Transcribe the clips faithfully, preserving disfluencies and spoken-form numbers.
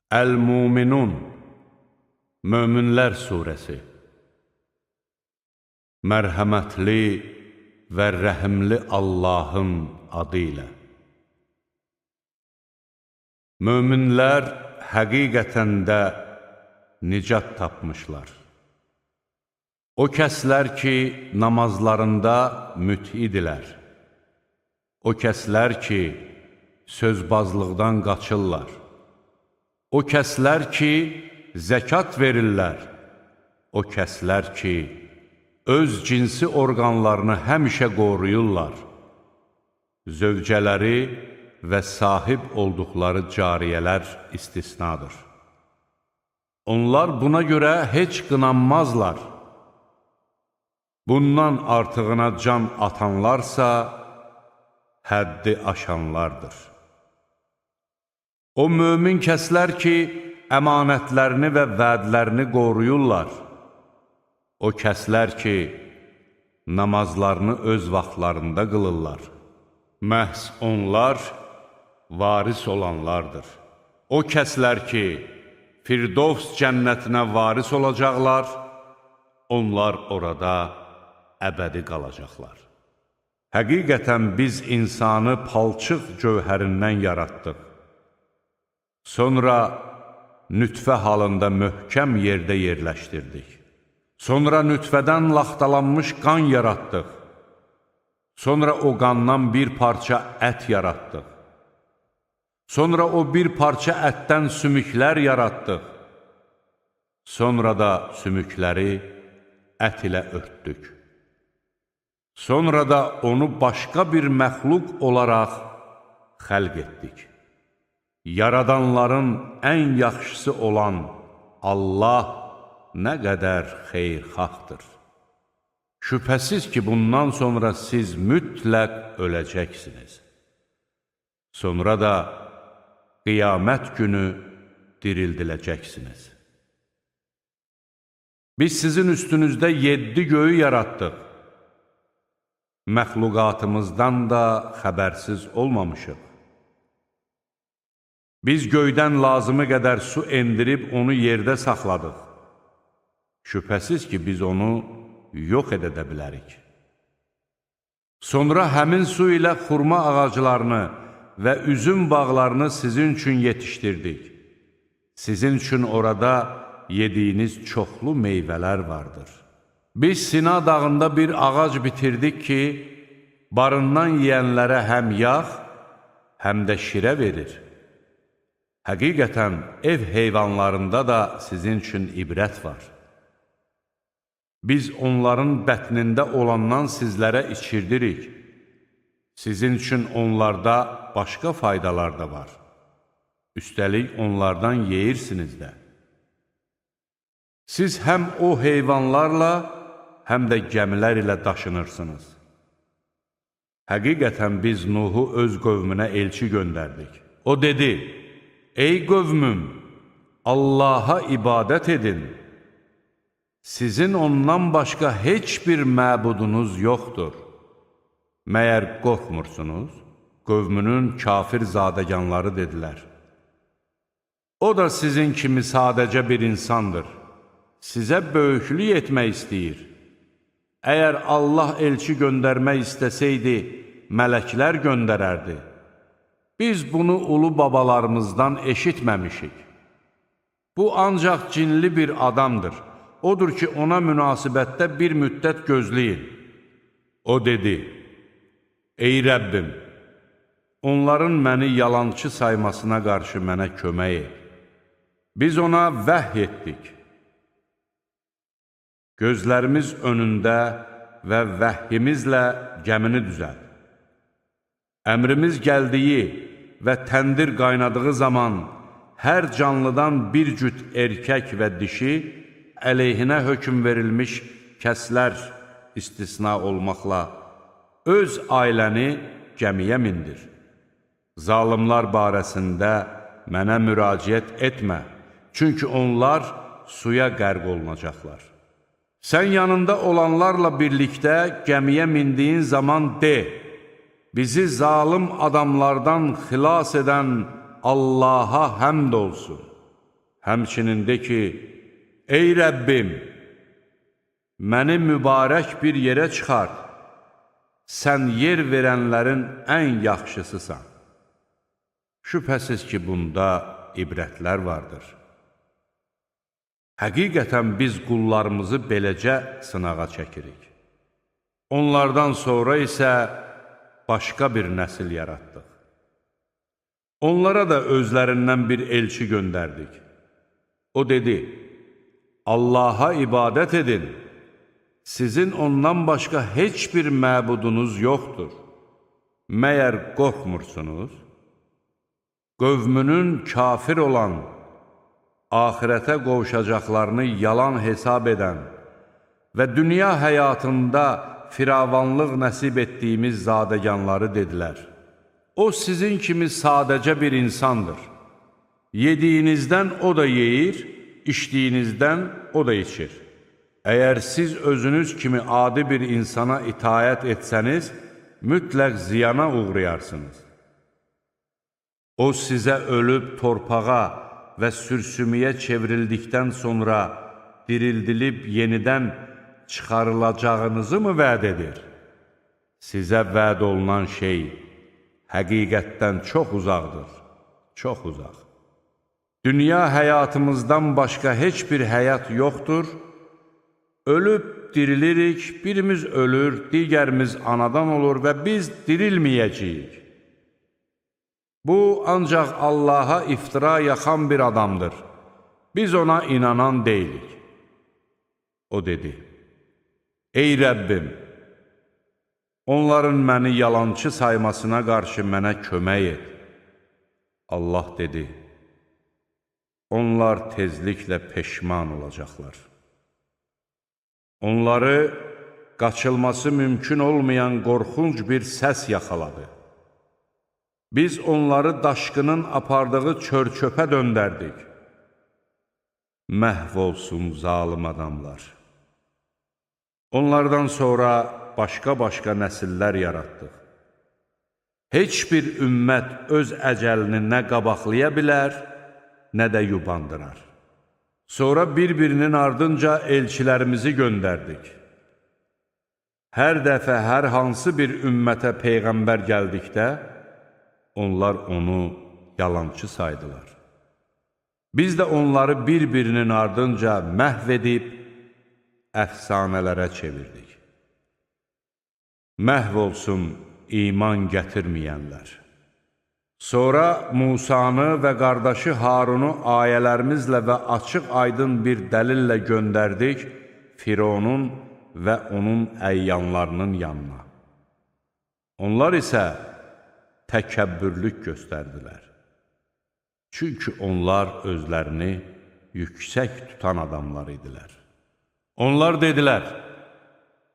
Əl-Muminun, Möminlər Suresi. Mərhəmətli və rəhimli Allahın adı ilə. Möminlər həqiqətən də nicat tapmışlar. O kəslər ki, namazlarında mütidilər. O kəslər ki, sözbazlıqdan qaçırlar. O kəslər ki, zəkat verirlər. O kəslər ki, öz cinsi orqanlarını həmişə qoruyurlar. Zövcələri və sahib olduqları cariyələr istisnadır. Onlar buna görə heç qınanmazlar. Bundan artığına can atanlarsa, həddi aşanlardır. O mömin kəslər ki, əmanətlərini və vədlərini qoruyurlar. O kəslər ki, namazlarını öz vaxtlarında qılırlar. Məhz onlar varis olanlardır. O kəslər ki, Firdovs cənnətinə varis olacaqlar, onlar orada əbədi qalacaqlar. Həqiqətən biz insanı palçıq gövhərindən yaratdıq. Sonra nütfə halında möhkəm yerdə yerləşdirdik. Sonra nütfədən laxtalanmış qan yaratdıq. Sonra o qandan bir parça ət yaratdıq. Sonra o bir parça ətdən sümüklər yaratdıq. Sonra da sümükləri ət ilə örtdük. Sonra da onu başqa bir məxluq olaraq xəlq etdik. Yaradanların ən yaxşısı olan Allah nə qədər xeyirxahdır. Şübhəsiz ki, bundan sonra siz mütləq öləcəksiniz. Sonra da qiyamət günü dirildiləcəksiniz. Biz sizin üstünüzdə yeddi göyü yaratdıq. Məxluqatımızdan da xəbərsiz olmamışıq. Biz göydən lazımı qədər su endirib onu yerdə saxladıq. Şübhəsiz ki, biz onu yox edə bilərik. Sonra həmin su ilə xurma ağaclarını və üzüm bağlarını sizin üçün yetişdirdik. Sizin üçün orada yediyiniz çoxlu meyvələr vardır. Biz Sina dağında bir ağac bitirdik ki, barından yeyənlərə həm yağ, həm də şirə verir. Həqiqətən ev heyvanlarında da sizin üçün ibrət var. Biz onların bətnində olandan sizlərə içirdirik. Sizin üçün onlarda başqa faydalar da var. Üstəlik onlardan yeyirsiniz də. Siz həm o heyvanlarla, həm də gəmilər ilə daşınırsınız. Həqiqətən biz Nuhu öz qövmünə elçi göndərdik. O dedi, ey qövmüm, Allaha ibadət edin. Sizin ondan başqa heç bir məbudunuz yoxdur. Məyər qorxmursunuz? Qövmünün kafir zadəganları dedilər. O da sizin kimi sadəcə bir insandır. Sizə böyüklük etmək istəyir. Əgər Allah elçi göndərmək istəsəydi, mələklər göndərərdi. Biz bunu ulu babalarımızdan eşitməmişik. Bu ancaq cinli bir adamdır. Odur ki, ona münasibətdə bir müddət gözləyin. O dedi, ey Rəbbim, onların məni yalançı saymasına qarşı mənə kömək et. Biz ona vəhy etdik. Gözlərimiz önündə və vəhyimizlə gəmini düzəld. Əmrimiz gəldiyi və təndir qaynadığı zaman hər canlıdan bir cüt erkək və dişi əleyhinə hökm verilmiş kəslər istisna olmaqla öz ailəni gəmiyə mindir. Zalimlar barəsində mənə müraciət etmə, çünki onlar suya qərq olunacaqlar. Sən yanında olanlarla birlikdə gəmiyə mindiyin zaman de, bizi zalim adamlardan xilas edən Allaha həmd olsun. Həmçinin de ki, ey Rəbbim, məni mübarək bir yerə çıxart, sən yer verənlərin ən yaxşısısan. Şübhəsiz ki, bunda ibrətlər vardır. Həqiqətən biz qullarımızı beləcə sınağa çəkirik. Onlardan sonra isə başqa bir nəsil yaratdıq. Onlara da özlərindən bir elçi göndərdik. O dedi, Allaha ibadət edin, sizin ondan başqa heç bir məbudunuz yoxdur. Məyər qorxmursunuz? Qövmünün kafir olan, axirətə qovuşacaqlarını yalan hesab edən və dünya həyatında firavanlıq nəsib etdiyimiz zadəganları dedilər. O sizin kimi sadəcə bir insandır. Yediyinizdən o da yeyir, içdiyinizdən o da içir. Əgər siz özünüz kimi adi bir insana itayət etsəniz, mütləq ziyana uğrayarsınız. O sizə ölüb torpağa və sürsümüyə çevrildikdən sonra dirildilib yenidən çıxarılacağınızı mı vəd edir? Sizə vəd olunan şey həqiqətdən çox uzaqdır, çox uzaq. Dünya həyatımızdan başqa heç bir həyat yoxdur. Ölüb dirilirik, birimiz ölür, digərimiz anadan olur və biz dirilməyəcəyik. Bu, ancaq Allaha iftira yaxan bir adamdır. Biz ona inanan deyilik. O dedi, ey Rəbbim, onların məni yalançı saymasına qarşı mənə kömək et. Allah dedi, onlar tezliklə peşman olacaqlar. Onları qaçılması mümkün olmayan qorxunc bir səs yaxaladı. Biz onları daşqının apardığı çör-çöpə döndərdik. Məhv olsun zalım adamlar. Onlardan sonra başqa-başqa nəsillər yaratdıq. Heç bir ümmət öz əcəlini nə qabaqlaya bilər, nə də yubandırar. Sonra bir-birinin ardınca elçilərimizi göndərdik. Hər dəfə hər hansı bir ümmətə peyğəmbər gəldikdə, onlar onu yalançı saydılar. Biz də onları bir-birinin ardınca məhv edib, əfsanələrə çevirdik. Məhv olsun iman gətirməyənlər. Sonra Musanı və qardaşı Harunu ayələrimizlə və açıq-aydın bir dəlillə göndərdik Fironun və onun əyyanlarının yanına. Onlar isə təkəbbürlük göstərdilər. Çünki onlar özlərini yüksək tutan adamlar idilər. Onlar dedilər,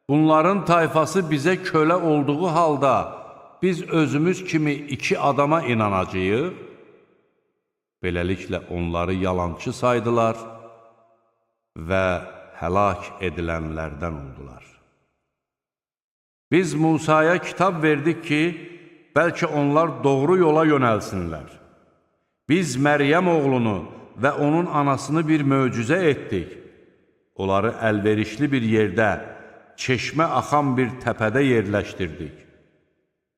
bunların tayfası bizə kölə olduğu halda biz özümüz kimi iki adama inanacağıq. Beləliklə onları yalançı saydılar və həlak edilənlərdən oldular. Biz Musaya kitab verdik ki, bəlkə onlar doğru yola yönəlsinlər. Biz Məryəm oğlunu və onun anasını bir möcüzə etdik. Onları əlverişli bir yerdə, çeşmə axan bir təpədə yerləşdirdik.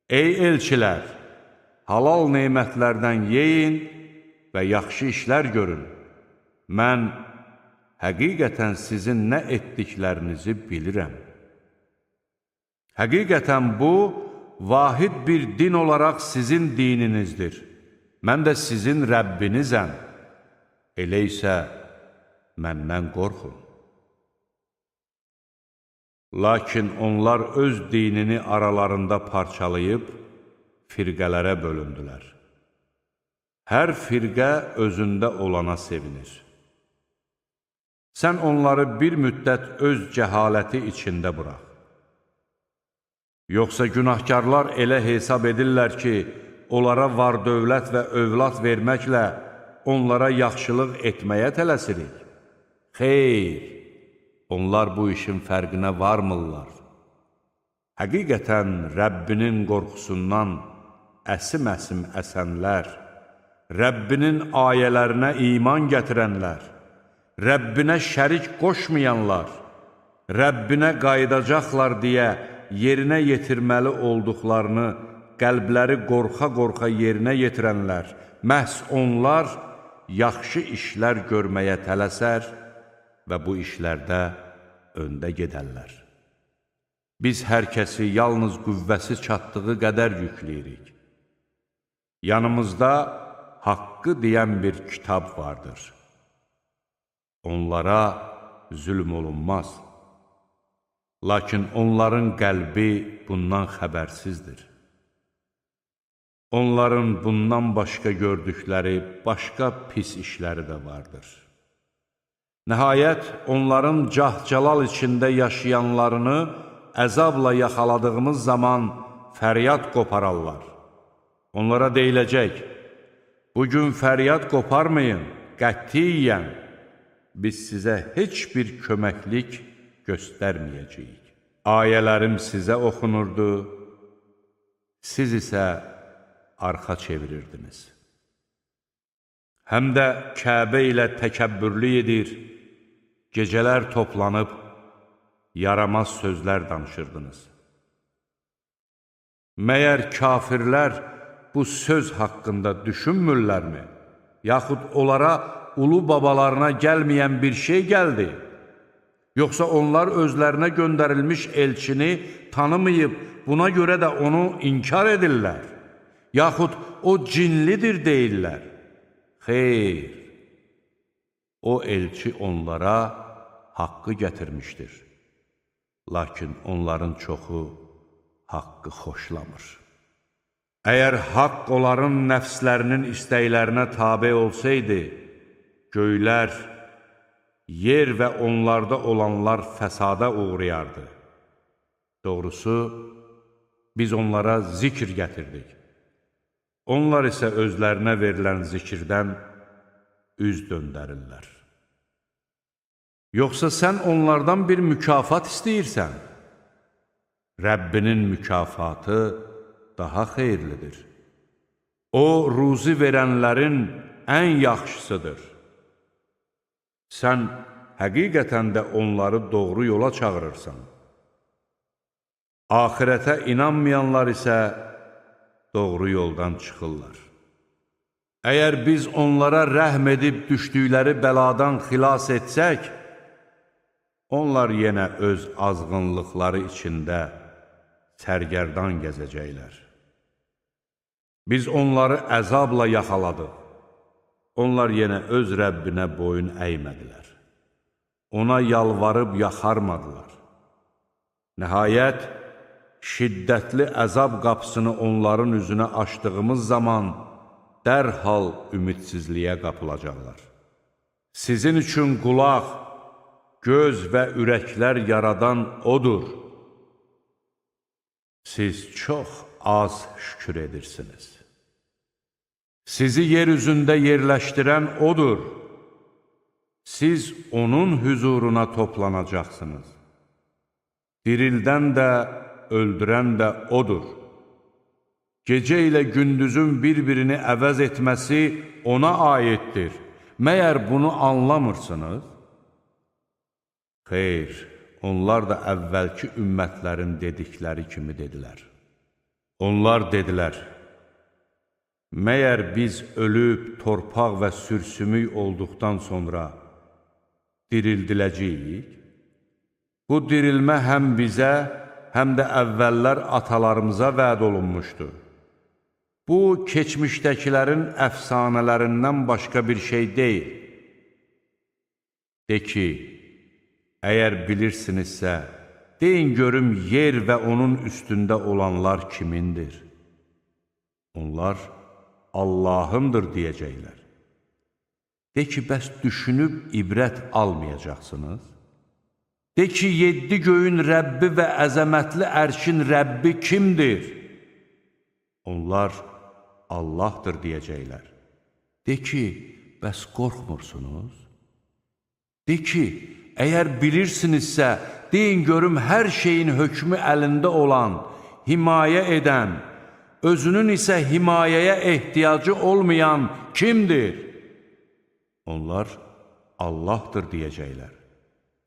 Ey elçilər, halal neymətlərdən yeyin və yaxşı işlər görün. Mən həqiqətən sizin nə etdiklərinizi bilirəm. Həqiqətən bu, vahid bir din olaraq sizin dininizdir. Mən də sizin Rəbbinizəm. Elə isə məndən qorxun. Lakin onlar öz dinini aralarında parçalayıb, firqələrə bölündülər. Hər firqə özündə olana sevinir. Sən onları bir müddət öz cəhaləti içində burax. Yoxsa günahkarlar elə hesab edirlər ki, onlara var dövlət və övlad verməklə onlara yaxşılıq etməyə tələsirik. Xeyr! Onlar bu işin fərqinə varmırlar. Həqiqətən Rəbbinin qorxusundan əsim-əsim əsənlər, Rəbbinin ayələrinə iman gətirənlər, Rəbbinə şərik qoşmayanlar, Rəbbinə qayıdacaqlar deyə yerinə yetirməli olduqlarını qəlbləri qorxa-qorxa yerinə yetirənlər, məhz onlar yaxşı işlər görməyə tələsər və bu işlərdə öndə gedərlər. Biz hər kəsi yalnız qüvvəsi çatdığı qədər yükləyirik. Yanımızda haqqı deyən bir kitab vardır. Onlara zülm olunmaz. Lakin onların qəlbi bundan xəbərsizdir. Onların bundan başqa gördükləri başqa pis işləri də vardır. Nəhayət, onların cah-calal içində yaşayanlarını əzabla yaxaladığımız zaman fəryad qopararlar. Onlara deyiləcək, bugün fəryad qoparmayın, qətiyyən, biz sizə heç bir köməklik göstərməyəcəyik. Ayələrim sizə oxunurdu, siz isə arxa çevirirdiniz. Həm də Kəbə ilə təkəbbürlü edir, gecələr toplanıb, yaramaz sözlər danışırdınız. Məyər kafirlər bu söz haqqında düşünmürlərmi? Yaxud onlara ulu babalarına gəlməyən bir şey gəldi? Yoxsa onlar özlərinə göndərilmiş elçini tanımayıb, buna görə də onu inkar edirlər? Yaxud o cinlidir deyirlər? Xeyr, o elçi onlara haqqı gətirmişdir. Lakin onların çoxu haqqı xoşlamır. Əgər haqq onların nəfslərinin istəklərinə tabe olsaydı, göylər, yer və onlarda olanlar fəsada uğrayardı. Doğrusu, biz onlara zikr gətirdik. Onlar isə özlərinə verilən zikirdən üz döndərirlər. Yoxsa sən onlardan bir mükafat istəyirsən? Rəbbinin mükafatı daha xeyirlidir. O, ruzi verənlərin ən yaxşısıdır. Sən həqiqətən də onları doğru yola çağırırsan. Axirətə inanmayanlar isə doğru yoldan çıxırlar. Əgər biz onlara rəhm edib düşdükləri bəladan xilas etsək, onlar yenə öz azğınlıqları içində sərgərdan gəzəcəklər. Biz onları əzabla yaxaladıq. Onlar yenə öz Rəbbinə boyun əymədilər. Ona yalvarıb yaxarmadılar. Nəhayət, şiddətli əzab qapısını onların üzünə açdığımız zaman dərhal ümidsizliyə qapılacaqlar. Sizin üçün qulaq, göz və ürəklər yaradan odur. Siz çox az şükür edirsiniz. Sizi yer üzündə yerləşdirən odur. Siz onun hüzuruna toplanacaqsınız. Dirildən də, öldürən də odur. Gecə ilə gündüzün bir-birini əvəz etməsi ona aiddir. Məyər bunu anlamırsınız? Xeyr, onlar da əvvəlki ümmətlərin dedikləri kimi dedilər. Onlar dedilər, məyər biz ölüb, torpaq və sürsümük olduqdan sonra dirildiləcəyik? Bu dirilmə həm bizə, həm də əvvəllər atalarımıza vəd olunmuşdu. Bu, keçmişdəkilərin əfsanələrindən başqa bir şey deyil. De ki, əgər bilirsinizsə, deyin görüm yer və onun üstündə olanlar kimindir? Onlar Allahındır deyəcəklər. De ki, bəs düşünüb ibrət almayacaqsınız? De ki, yeddi göyün Rəbbi və əzəmətli ərşin Rəbbi kimdir? Onlar Allahdır deyəcəklər. De ki, bəs qorxmursunuz? De ki, əgər bilirsinizsə, deyin görüm hər şeyin hökmü əlində olan, himayə edən, özünün isə himayəyə ehtiyacı olmayan kimdir? Onlar Allahdır deyəcəklər.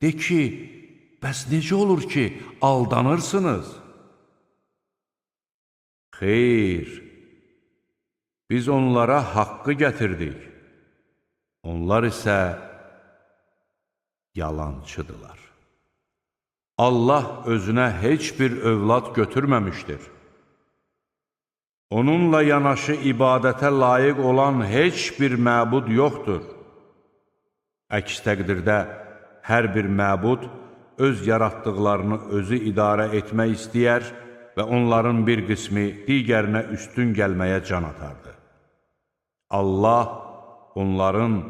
De ki, bəs necə olur ki, aldanırsınız? Xeyr, biz onlara haqqı gətirdik. Onlar isə yalançıdırlar. Allah özünə heç bir övlad götürməmişdir. Onunla yanaşı ibadətə layiq olan heç bir məbud yoxdur. Əks təqdirdə hər bir məbud öz yaratdıqlarını özü idarə etmək istəyər və onların bir qismi digərinə üstün gəlməyə can atardı. Allah onların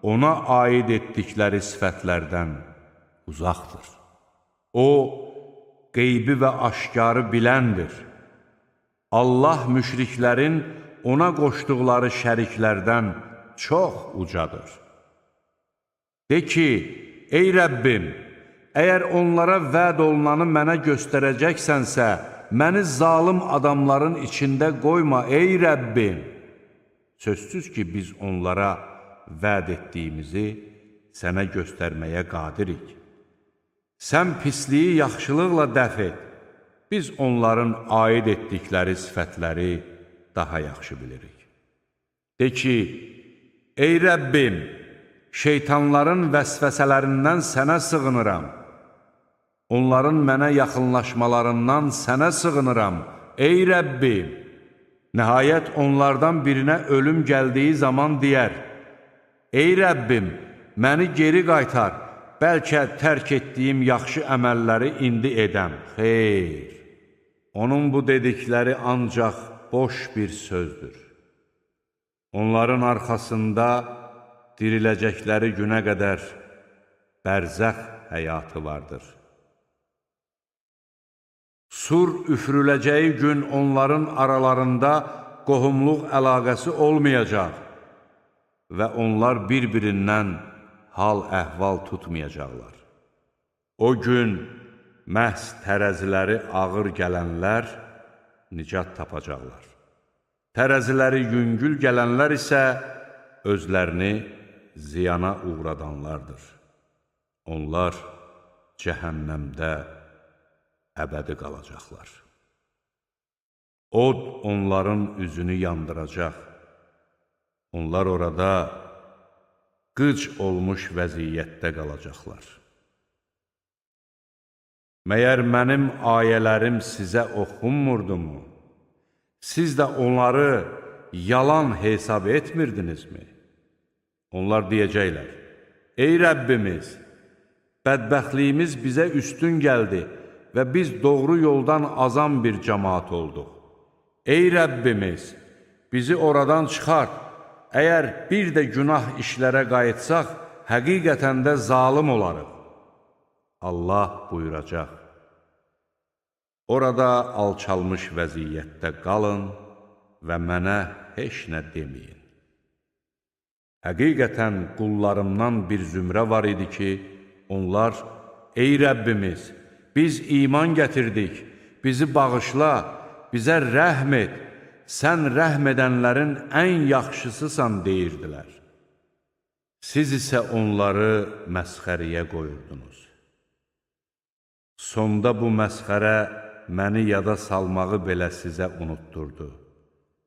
ona aid etdikləri sifətlərdən uzaqdır. O, qeybi və aşkarı biləndir. Allah müşriklərin ona qoşduqları şəriklərdən çox ucadır. De ki, ey Rəbbim, əgər onlara vəd olunanı mənə göstərəcəksənsə, məni zalım adamların içində qoyma, ey Rəbbim. Sözsüz ki, biz onlara vəd etdiyimizi sənə göstərməyə qadirik. Sən pisliyi yaxşılıqla dəf et. Biz onların aid etdikləri sifətləri daha yaxşı bilirik. De ki, ey Rəbbim, şeytanların vəsvəsələrindən sənə sığınıram. Onların mənə yaxınlaşmalarından sənə sığınıram, ey Rəbbim. Nəhayət onlardan birinə ölüm gəldiyi zaman deyər, ey Rəbbim, məni geri qaytar, bəlkə tərk etdiyim yaxşı əməlləri indi edəm. Xeyr, onun bu dedikləri ancaq boş bir sözdür. Onların arxasında diriləcəkləri günə qədər bərzəx həyatı vardır. Sur üfürüləcəyi gün onların aralarında qohumluq əlaqəsi olmayacaq və onlar bir-birindən hal-əhval tutmayacaqlar. O gün məhz tərəziləri ağır gələnlər nicat tapacaqlar. Tərəziləri yüngül gələnlər isə özlərini ziyana uğradanlardır. Onlar cəhənnəmdə əbədi qalacaqlar. Od onların üzünü yandıracaq. Onlar orada qıc olmuş vəziyyətdə qalacaqlar. Məyər mənim ayələrim sizə oxunmurdumu? Siz də onları yalan hesab etmirdinizmi? Onlar deyəcəklər, ey Rəbbimiz, bədbəxtliyimiz bizə üstün gəldi və biz doğru yoldan azan bir cəmaat olduq. Ey Rəbbimiz, bizi oradan çıxart, əgər bir də günah işlərə qayıtsaq, həqiqətən də zalım olarıq. Allah buyuracaq, orada alçalmış vəziyyətdə qalın və mənə heç nə deməyin. Həqiqətən qullarımdan bir zümrə var idi ki, onlar, ey Rəbbimiz, biz iman gətirdik, bizi bağışla, bizə rəhm et, sən rəhm edənlərin ən yaxşısısan deyirdilər. Siz isə onları məsxəriyə qoyurdunuz. Sonda bu məsxərə məni yada salmağı belə sizə unutturdu.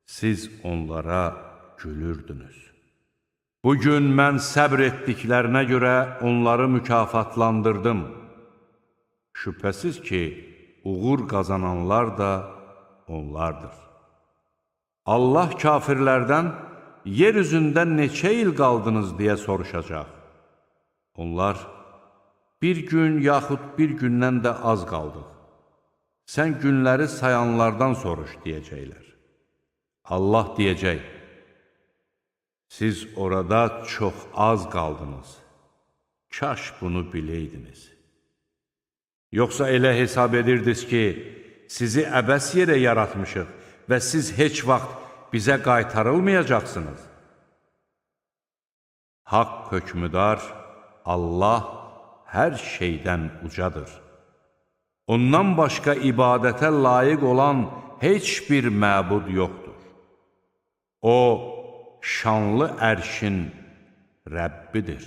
Siz onlara gülürdünüz. Bugün mən səbr etdiklərinə görə onları mükafatlandırdım. Şübhəsiz ki, uğur qazananlar da onlardır. Allah kafirlərdən yer üzündə neçə il qaldınız deyə soruşacaq. Onlar, bir gün yaxud bir gündən də az qaldıq. Sən günləri sayanlardan soruş deyəcəklər. Allah deyəcək, siz orada çox az qaldınız. Kaş bunu biləydiniz. Yoxsa elə hesab edirdiniz ki, sizi əbəs yerə yaratmışıq və siz heç vaxt bizə qaytarılmayacaqsınız. Haqq hökmüdar Allah hər şeydən ucadır. Ondan başqa ibadətə layiq olan heç bir məbud yoxdur. O, şanlı ərşin Rəbbidir.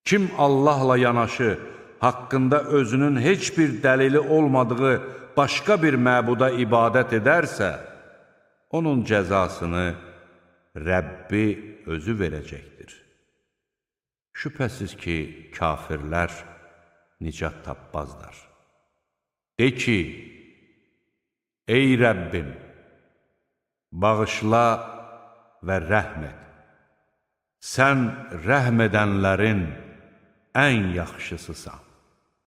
Kim Allahla yanaşı, haqqında özünün heç bir dəlili olmadığı başqa bir məbuda ibadət edərsə, onun cəzasını Rəbbi özü verəcəkdir. Şübhəsiz ki, kafirlər nicat tapmazlar. De ki, ey Rəbbim, bağışla və rəhm et. Sən rəhm edənlərin ən yaxşısısan.